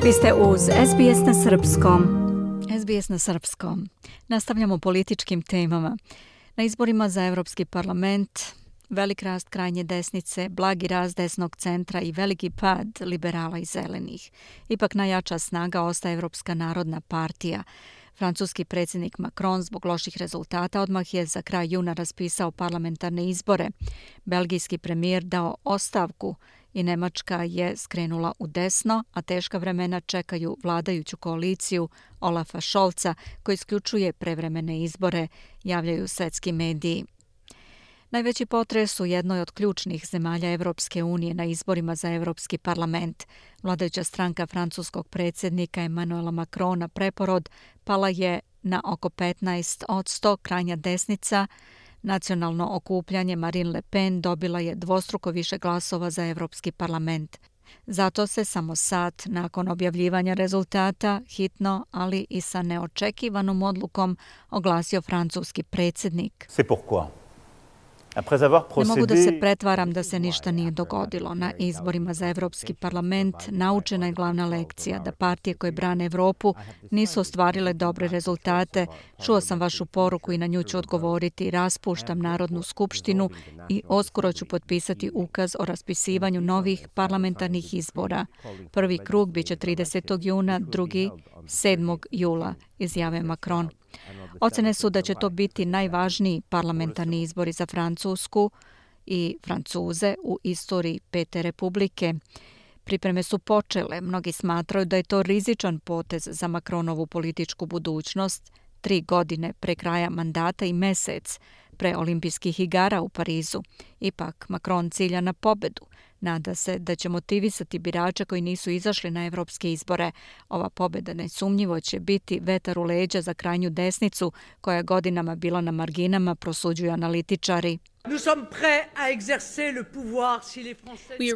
Vi ste uz SBS na Srpskom. SBS na Srpskom. Nastavljamo političkim temama. Na izborima za Evropski parlament velik rast krajnje desnice, blagi rast desnog centra i veliki pad liberala i zelenih. Ipak najjača snaga ostaje Evropska narodna partija. Francuski predsjednik Macron zbog loših rezultata odmah je za kraj juna raspisao parlamentarne izbore. Belgijski premijer dao ostavku i Nemačka je skrenula u desno, a teška vremena čekaju vladajuću koaliciju Olafa Scholza koji isključuje prevremene izbore, javljaju svetski mediji. Najveći potres u jednoj od ključnih zemalja Evropske unije na izborima za Evropski parlament. Vladajuća stranka francuskog predsjednika Emmanuela Macrona Preporod pala je na oko 15%, krajnja desnica Nacionalno okupljanje Marine Le Pen dobila je dvostruko više glasova za Evropski parlament. Zato se samo sat nakon objavljivanja rezultata hitno, ali i sa neočekivanom odlukom oglasio francuski predsjednik. C'est pourquoi. Ne mogu da se pretvaram da se ništa nije dogodilo. Na izborima za Evropski parlament naučena je glavna lekcija da partije koje brane Evropu nisu ostvarile dobre rezultate. Čuo sam vašu poruku i na nju ću odgovoriti. Raspuštam Narodnu skupštinu i uskoro ću potpisati ukaz o raspisivanju novih parlamentarnih izbora. Prvi krug biće 30. juna, drugi 7. jula, izjave Macron. Ocene su da će to biti najvažniji parlamentarni izbori za Francusku i Francuze u istoriji Pete republike. Pripreme su počele. Mnogi smatraju da je to rizičan potez za Macronovu političku budućnost 3 godine pre kraja mandata i mesec pre olimpijskih igara u Parizu. Ipak Macron cilja na pobedu. Nada se da će motivisati birače koji nisu izašli na evropske izbore. Ova pobeda nesumnjivo će biti vetar u leđa za krajnju desnicu koja je godinama bila na marginama, prosuđuju analitičari.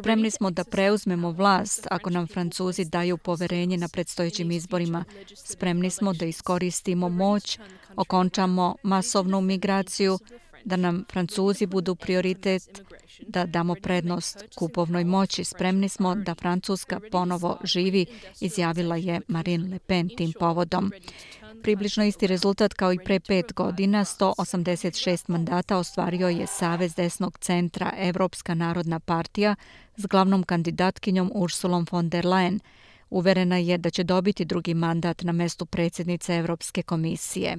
Spremni smo da preuzmemo vlast ako nam Francuzi daju poverenje na predstojećim izborima. Spremni smo da iskoristimo moć, okončamo masovnu migraciju, da nam Francuzi budu prioritet, da damo prednost kupovnoj moći. Spremni smo da Francuska ponovo živi, izjavila je Marine Le Pen tim povodom. Približno isti rezultat kao i pre 5 godina, 186 mandata ostvario je Savez desnog centra Evropska narodna partija s glavnom kandidatkinjom Ursulom von der Leyen. Uverena je da će dobiti drugi mandat na mestu predsjednice Evropske komisije.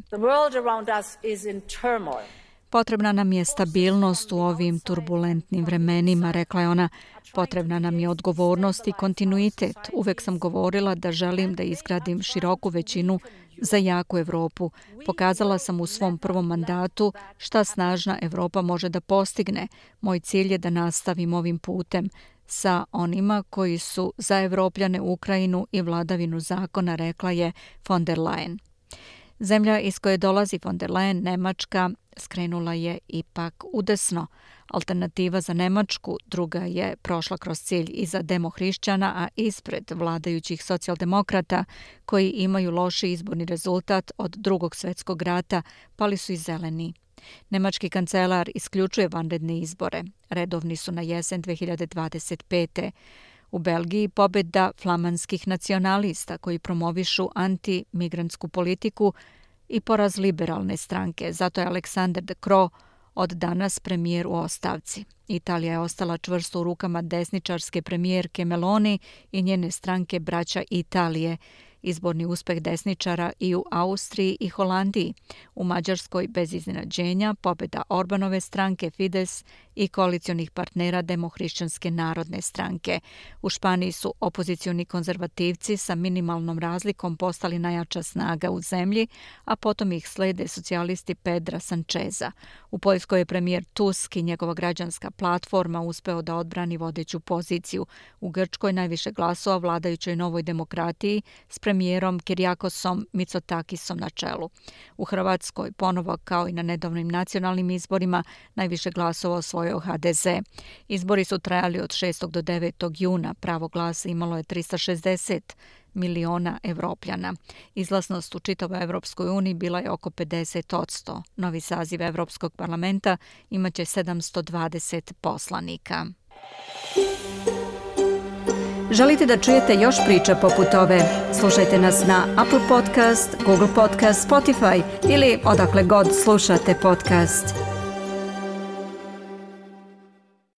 Potrebna nam je stabilnost u ovim turbulentnim vremenima, rekla je ona. Potrebna nam je odgovornost i kontinuitet. Uvek sam govorila da želim da izgradim široku većinu za jaku Evropu. Pokazala sam u svom prvom mandatu šta snažna Evropa može da postigne. Moj cilj je da nastavim ovim putem sa onima koji su za Evropljane, Ukrajinu i vladavinu zakona, rekla je von der Leyen. Zemlja iz koje dolazi von der Leyen, Nemačka, skrenula je ipak udesno. Alternativa za Nemačku druga je prošla kroz cilj iza demohrišćana, a ispred vladajućih socijaldemokrata koji imaju loši izborni rezultat od Drugog svjetskog rata, pali su i zeleni. Nemački kancelar isključuje vanredne izbore. Redovni su na jesen 2025. U Belgiji pobjeda flamanskih nacionalista koji promovišu antimigrantsku politiku i poraz liberalne stranke. Zato je Alexander De Croo od danas premijer u ostavci. Italija je ostala čvrsto u rukama desničarske premijerke Meloni i njene stranke Braća Italije. Izborni uspeh desničara i u Austriji i Holandiji. U Mađarskoj bez iznenađenja pobjeda Orbanove stranke Fides i koalicionih partnera Demohrišćanske narodne stranke. U Španiji su opozicioni konzervativci sa minimalnom razlikom postali najjača snaga u zemlji, a potom ih slede socijalisti Pedra Sancheza. U Poljskoj je premijer Tusk i njegova građanska platforma uspeo da odbrani vodeću poziciju. U Grčkoj najviše glasova vladajućoj Novoj demokratiji s premijerom Kirijakosom Mitsotakisom na čelu. U Hrvatskoj ponovo kao i na nedavnim nacionalnim izborima najviše glasova osvojio HDZ. Izbori su trajali od 6. do 9. juna. Pravo glasa imalo je 360 miliona Evropljana. Izlaznost u čitavoj Evropskoj uniji bila je oko 50%. Novi saziv Evropskog parlamenta imaće 720 poslanika. Želite da čujete još priča poput ove? Slušajte nas na Apple Podcast, Google Podcast, Spotify ili odakle god slušate podcast.